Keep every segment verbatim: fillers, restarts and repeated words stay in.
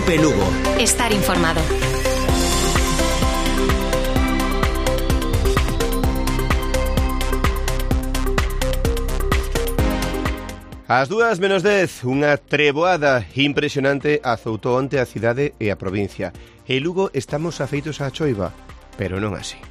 Cope Lugo. Estar informado. Ás dúas menos dez, unha treboada impresionante azoutou onte a cidade e a provincia. E Lugo estamos afeitos á choiva, pero non así.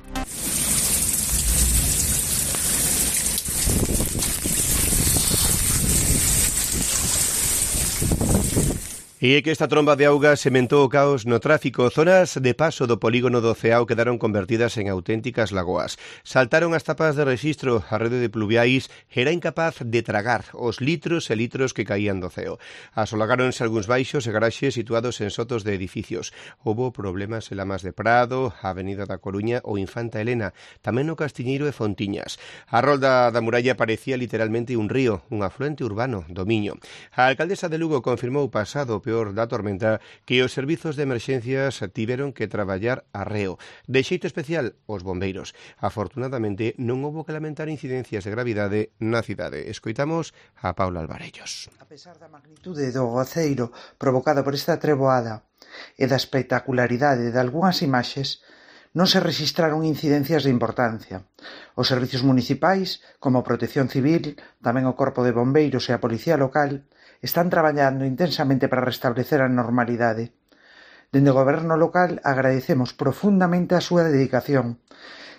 E é que esta tromba de auga sementou o caos no tráfico. Zonas de paso do polígono do Ceao quedaron convertidas en auténticas lagoas. Saltaron as tapas de rexistro, a rede de pluviais era incapaz de tragar os litros e litros que caían do ceo. Asolagáronse algúns baixos e garaxes situados en sotos de edificios. Houbo problemas en Lamas de Prado, a Avenida da Coruña ou Infanta Elena, tamén no Castiñeiro e Fontiñas. A rolda da muralla parecía literalmente un río, un afluente urbano do Miño. A alcaldesa de Lugo confirmou pasado peor da tormenta que os servizos de emerxencias tiveron que traballar a reo. De xeito especial, os bombeiros. Afortunadamente, non houbo que lamentar incidencias de gravidade na cidade. Escoitamos a Paula Alvarellos. A pesar da magnitude do aguaceiro provocada por esta treboada e da espectacularidade de algunhas imaxes, non se rexistraron incidencias de importancia. Os servizos municipais, como Protección Civil, tamén o Corpo de Bombeiros e a Policía Local, están traballando intensamente para restablecer a normalidade. Dende o goberno local agradecemos profundamente a súa dedicación.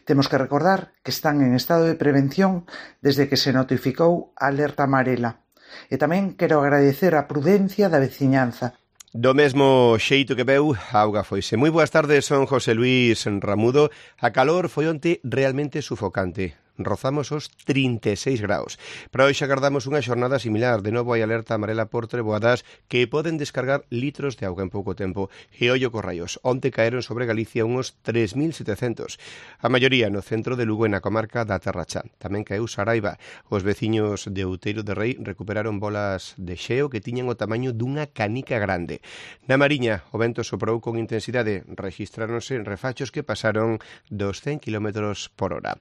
Temos que recordar que están en estado de prevención desde que se notificou a alerta amarela. E tamén quero agradecer a prudencia da veciñanza. Do mesmo xeito que veu, a auga foise. Moi boas tardes, son José Luis Ramudo. A calor foi onte realmente sufocante. Rozamos os trinta e seis graus. Para hoxe agardamos unha xornada similar. De novo hai alerta amarela por treboadas que poden descargar litros de auga en pouco tempo. E ollo cos raios. Onte caeron sobre Galicia uns tres mil setecentos. A maioría no centro de Lugo e na comarca da Terra Cha. Tamén caeu Saraiva. Os veciños de Outeiro de Rei recuperaron bolas de xeo que tiñan o tamaño dunha canica grande. Na Mariña, o vento soprou con intensidade. Rexistráronse refachos que pasaron dos cen kilómetros por hora.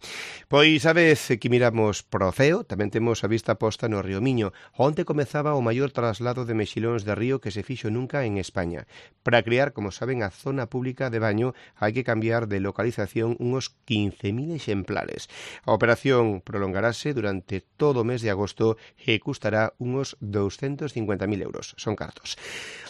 Pois a vez que miramos pro ceo, tamén temos a vista posta no río Miño. Onte comezaba o maior traslado de mexilóns de río que se fixo nunca en España. Para crear, como saben, a zona pública de baño hai que cambiar de localización uns quince mil exemplares. A operación prolongarase durante todo o mes de agosto e custará uns doscientos cincuenta mil euros. Son cartos.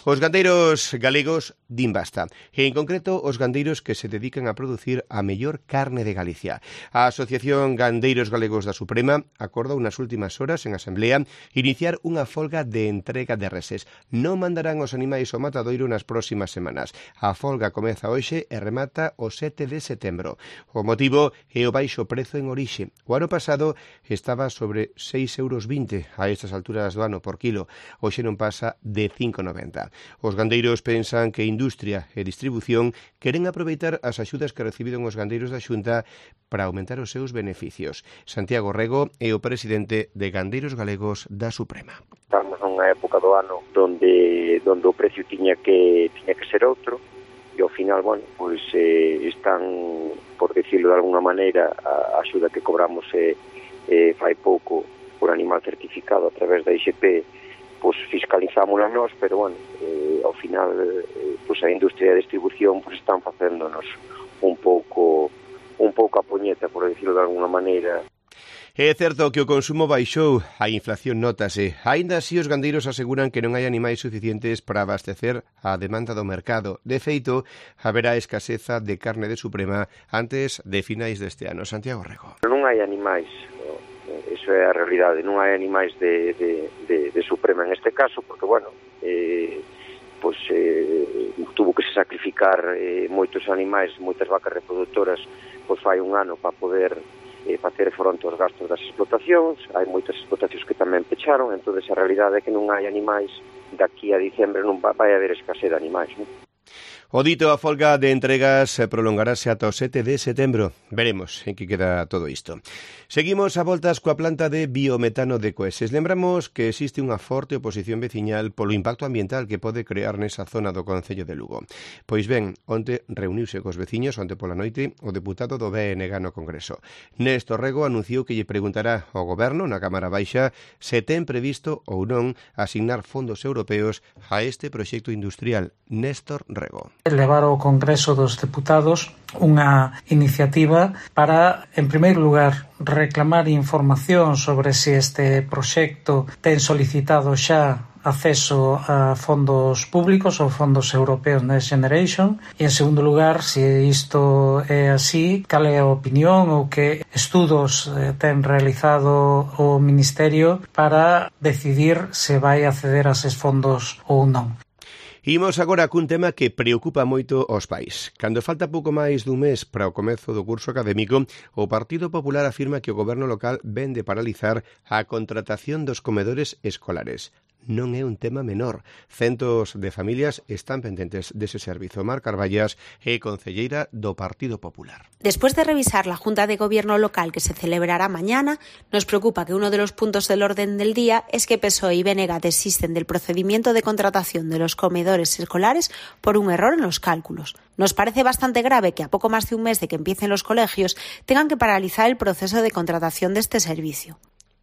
Os gandeiros galegos din basta. E en concreto, os gandeiros que se dedican a producir a mellor carne de Galicia. A Asociación Gandeiros Galegos da Suprema acordou nas últimas horas en asamblea iniciar unha folga de entrega de reses. Non mandarán os animais ao matadoiro nas próximas semanas. A folga comeza hoxe e remata o sete de setembro. O motivo é o baixo prezo en orixe. O ano pasado estaba sobre seis euros vinte a estas alturas do ano por kilo. Hoxe non pasa de cinco noventa. Os gandeiros pensan que industria e distribución queren aproveitar as axudas que recibiron os gandeiros da Xunta para aumentar os seus beneficios. Santiago Rego é o presidente de Gandeiros Galegos da Suprema. Estamos nunha época do ano donde donde o precio tiña que tiña que ser outro e ao final, bueno, pois eh, están, por decirlo de alguna maneira, a axuda que cobramos eh, eh, fai pouco por animal certificado a través da I X P, pois fiscalizámola nós, pero bueno, eh, ao final eh, pois a industria de distribución pois están facéndonos un pouco un pouco a poñeta, por decirlo de alguna maneira. É certo que o consumo baixou, a inflación nótase. Aínda así, os gandeiros aseguran que non hai animais suficientes para abastecer a demanda do mercado. De feito, haberá escaseza de carne de Suprema antes de finais deste ano. Santiago Rego. Non hai animais, no? Eso é a realidade. Non hai animais de, de, de, de Suprema en este caso, porque, bueno, eh, pois, eh, tuvo que se sacrificar eh, moitos animais, moitas vacas reproductoras, pois fai un ano para poder eh, facer fronte aos gastos das explotacións. Hai moitas explotacións que tamén pecharon, entón a realidade é que non hai animais, daqui a diciembre non vai haber escasez de animais, non? O dito, a folga de entregas prolongarase ata o sete de setembro. Veremos en que queda todo isto. Seguimos a voltas coa planta de biometano de Coeses. Lembramos que existe unha forte oposición veciñal polo impacto ambiental que pode crear nesa zona do concello de Lugo. Pois ben, onte reuniuse cos veciños, onte pola noite, o deputado do B N G no Congreso. Néstor Rego anunciou que lle preguntará ao Goberno na Cámara Baixa se ten previsto ou non asignar fondos europeos a este proxecto industrial. Néstor Rego. Levar ao Congreso dos Deputados unha iniciativa para, en primeiro lugar, reclamar información sobre se este proxecto ten solicitado xa acceso a fondos públicos ou fondos europeos Next Generation e, en segundo lugar, se isto é así, cal é a opinión ou que estudos eh, ten realizado o Ministerio para decidir se vai acceder a eses fondos ou non. Imos agora cun tema que preocupa moito aos pais. Cando falta pouco máis dun mes para o comezo do curso académico, o Partido Popular afirma que o goberno local ven de paralizar a contratación dos comedores escolares. Non é un tema menor. Centos de familias están pendentes dese servizo. Mar Carballas é concelleira do Partido Popular. Después de revisar la Junta de Gobierno local que se celebrará mañana, nos preocupa que uno de los puntos del orden del día es que P S O E y B N G desisten del procedimiento de contratación de los comedores escolares por un error en los cálculos. Nos parece bastante grave que a poco más de un mes de que empiecen los colegios tengan que paralizar el proceso de contratación de este servicio.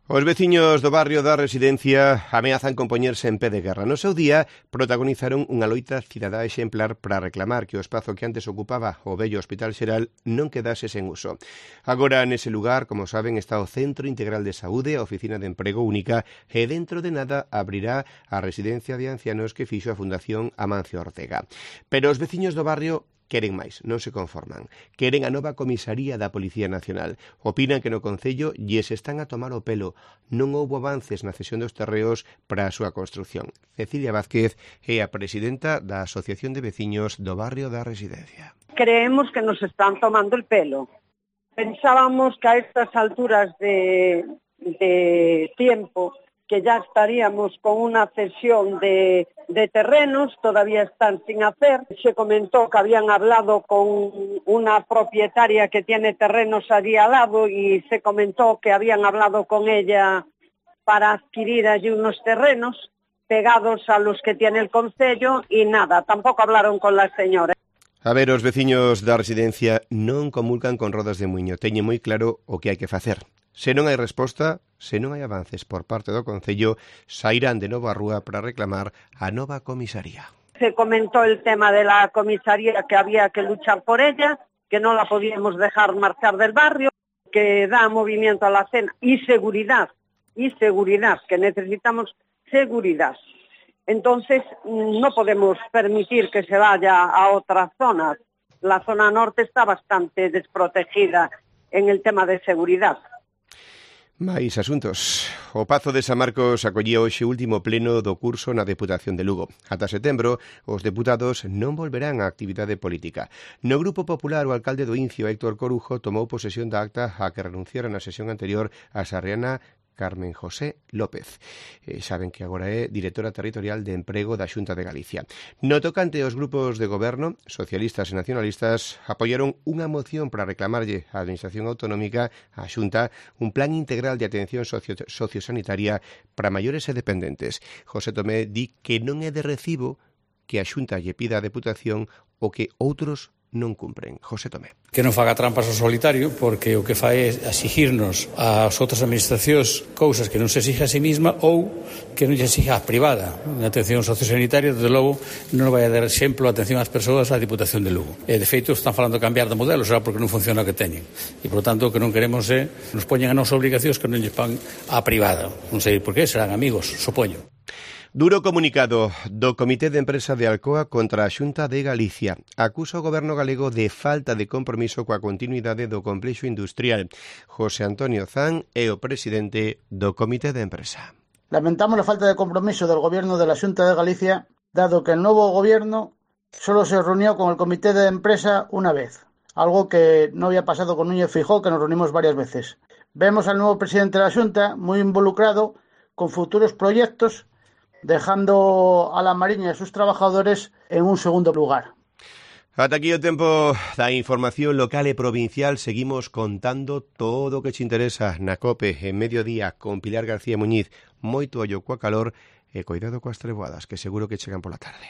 Os veciños do barrio da Residencia ameazan con poñerse en pé de guerra. No seu día protagonizaron unha loita cidadá exemplar para reclamar que o espazo que antes ocupaba o vello Hospital Xeral non quedase sen uso. Agora, nese lugar, como saben, está o Centro Integral de Saúde, a Oficina de Emprego Única, e dentro de nada abrirá a residencia de ancianos que fixo a Fundación Amancio Ortega. Pero os veciños do barrio queren máis, non se conforman. Queren a nova comisaría da Policía Nacional. Opinan que no Concello lles están a tomar o pelo. Non houbo avances na cesión dos terreos para a súa construción. Cecilia Vázquez é a presidenta da Asociación de Veciños do Barrio da Residencia. Creemos que nos están tomando el pelo. Pensábamos que a estas alturas de, de tiempo que ya estaríamos con una cesión de, de terrenos, todavía están sin hacer. Se comentó que habían hablado con una propietaria que tiene terrenos allí al lado y se comentó que habían hablado con ella para adquirir allí unos terrenos pegados a los que tiene el concello y nada, tampoco hablaron con la señora. A ver, os veciños da Residencia non comulgan con rodas de muiño. Teñen moi claro o que hai que facer. Se non hai resposta, se non hai avances por parte do Concello, sairán de novo á rúa para reclamar a nova comisaría. Se comentó el tema de la comisaría, que había que luchar por ella, que no la podíamos dejar marchar del barrio, que da movimiento a la cena y seguridad, y seguridad, que necesitamos seguridad. Entonces, no podemos permitir que se vaya a otras zonas. La zona norte está bastante desprotegida en el tema de seguridad. Mais asuntos. O Pazo de San Marcos acollía hoxe o último pleno do curso na Deputación de Lugo. Ata setembro, os deputados non volverán á actividade política. No Grupo Popular, o alcalde do Incio, Héctor Corujo, tomou posesión da acta a que renunciara na sesión anterior a sarriana Carmen José López. Eh, saben que agora é directora territorial de Emprego da Xunta de Galicia. No tocante aos grupos de goberno, socialistas e nacionalistas apoiaron unha moción para reclamarlle á Administración Autonómica, á Xunta, un plan integral de atención socio sociosanitaria para maiores e dependentes. José Tomé di que non é de recibo que a Xunta lle pida a Deputación o que outros non cumpren. José Tomé. Que non faga trampas ao solitario, porque o que fai é exigirnos ás outras administracións cousas que non se exige a sí misma ou que non lle exige a privada. Na atención sociosanitaria, desde logo, non vai a dar exemplo a atención ás persoas á Diputación de Lugo. E, de feito, están falando de cambiar de modelo, será porque non funciona o que teñen. E, por tanto, o que non queremos é nos poñen a nosa obligacións que non lle pan á privada. Non sei por qué, serán amigos, supoño. Duro comunicado do Comité de Empresa de Alcoa contra a Xunta de Galicia. Acusa o goberno galego de falta de compromiso coa continuidade do complexo industrial. José Antonio Zan é o presidente do Comité de Empresa. Lamentamos la falta de compromiso del gobierno de la Xunta de Galicia, dado que el nuevo gobierno solo se reunió con el Comité de Empresa una vez, algo que no había pasado con Núñez Feijóo, que nos reunimos varias veces. Vemos al nuevo presidente de la Xunta muy involucrado con futuros proyectos, dejando a la Mariña y a sus trabajadores en un segundo lugar. Ata aquí o tempo da información local e provincial. Seguimos contando todo o que te interesa na COPE en mediodía con Pilar García Muñiz. Moito ollo coa calor e coidado coas treboadas, que seguro que chegan pola tarde.